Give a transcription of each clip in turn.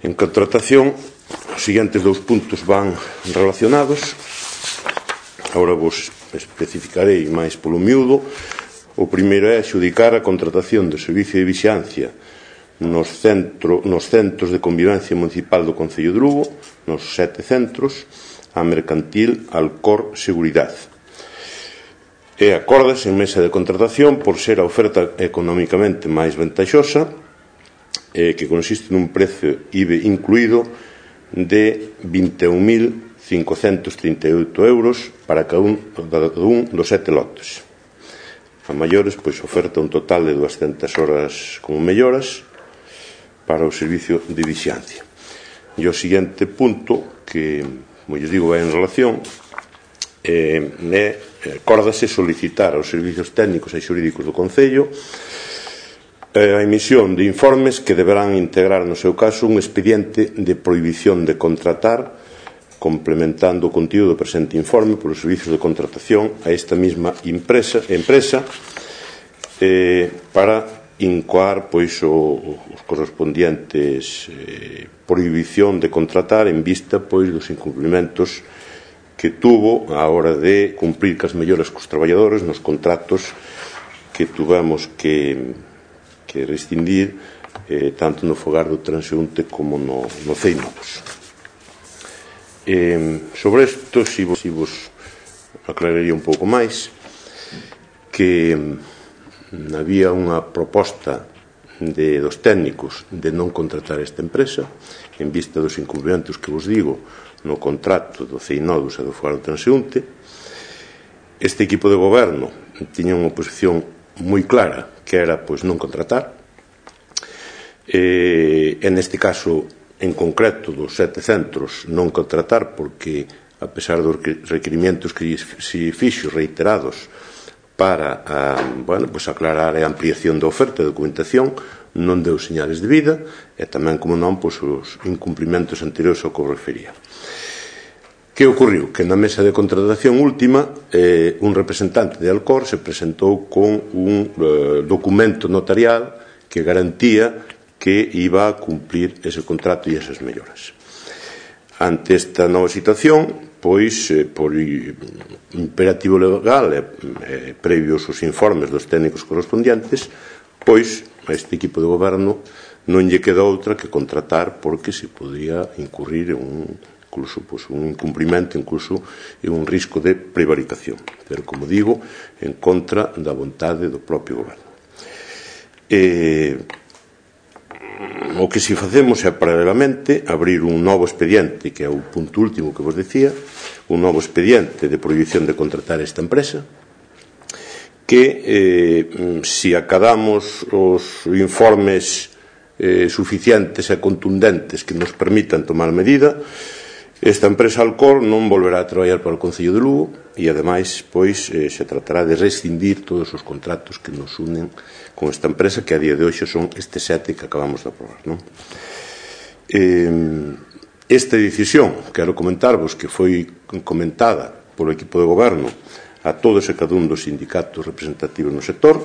En contratación, os seguintes dous puntos van relacionados. Agora vos especificarei máis polo miúdo. O primeiro é adxudicar a contratación de servicio de vixiancia nos centros de convivencia municipal do Concello de Lugo, nos 7 centros, a Mercantil Alcor Seguridade. E acórdase en mesa de contratación por ser a oferta económicamente máis vantaxosa, que consiste nun prezo IBE incluído de 21.538 euros para cada un dos 7 lotes. A maiores, pois, oferta un total de 200 horas como melloras para o servicio de vixiancia. E o seguinte punto, que, como lles digo, vai en relación, acórdase solicitar aos servicios técnicos e xurídicos do Concello a emisión de informes que deberán integrar, no seu caso, un expediente de prohibición de contratar, complementando o contido do presente informe polos servicios de contratación a esta mesma empresa para incoar, pois, os correspondientes prohibición de contratar en vista, pois, dos incumplimentos que tuvo á hora de cumprir cas melloras cos traballadores nos contratos que tuvemos que rescindir tanto no fogar do transeúnte como no CEINODOS. Sobre isto, si vos aclararía un pouco máis que había unha proposta dos técnicos de non contratar esta empresa en vista dos incumprimentos que vos digo no contrato do CEINODOS e do fogar do transeúnte. Este equipo de goberno tiña unha posición moi clara, que era, pois, non contratar. En este caso, en concreto, dos 7 centros, non contratar, porque, a pesar dos requerimientos que se fixo reiterados para aclarar a ampliación da oferta de documentación, non deu señales de vida, e tamén, como non, pois, os incumplimentos anteriores ao que refería. Que ocorriu? Que na mesa de contratación última un representante de Alcor se presentou con un documento notarial que garantía que iba a cumplir ese contrato e esas melloras. Ante esta nova situación, pois, por imperativo legal e previos os informes dos técnicos correspondientes, pois, a este equipo de goberno non lle queda outra que contratar, porque se podía incurrir en un incumprimento, incluso en un risco de prevaricación, pero, como digo, en contra da vontade do propio goberno. O que si facemos é, paralelamente, abrir un novo expediente, que é o punto último que vos decía, un novo expediente de prohibición de contratar esta empresa, que, si acadamos os informes suficientes e contundentes que nos permitan tomar medida, esta empresa Alcor non volverá a traballar para o Concello de Lugo e, ademais, pois, se tratará de rescindir todos os contratos que nos unen con esta empresa, que a día de hoxe son estes 7 que acabamos de aprobar, non? Esta decisión, quero comentarvos que foi comentada polo equipo de goberno a todos e cada un dos sindicatos representativos no sector,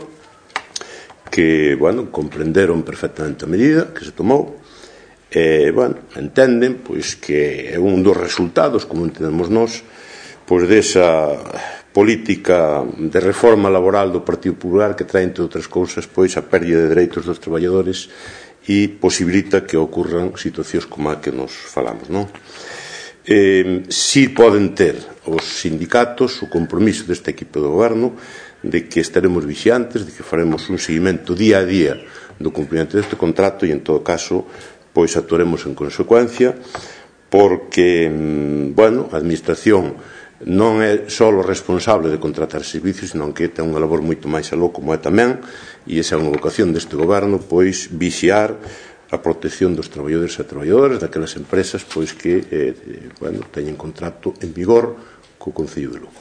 que, comprenderon perfectamente a medida que se tomou. Entenden, pois, que é un dos resultados, como entendemos nós, pois, desa política de reforma laboral do Partido Popular que trae, entre outras cousas, pois, a pérdida de dereitos dos traballadores e posibilita que ocurran situacións como a que nos falamos, non? Si poden ter os sindicatos o compromiso deste equipo de goberno de que estaremos vixiantes, de que faremos un seguimento día a día do cumprimento deste contrato e, en todo caso, pois actuaremos en consecuencia, porque, a Administración non é só o responsable de contratar servicios, senón que ten unha labor moito máis aló, como é tamén, e esa é unha vocación deste goberno, pois, vixiar a protección dos traballadores e traballadoras daquelas empresas, pois, que teñen contrato en vigor co Concello de Lugo.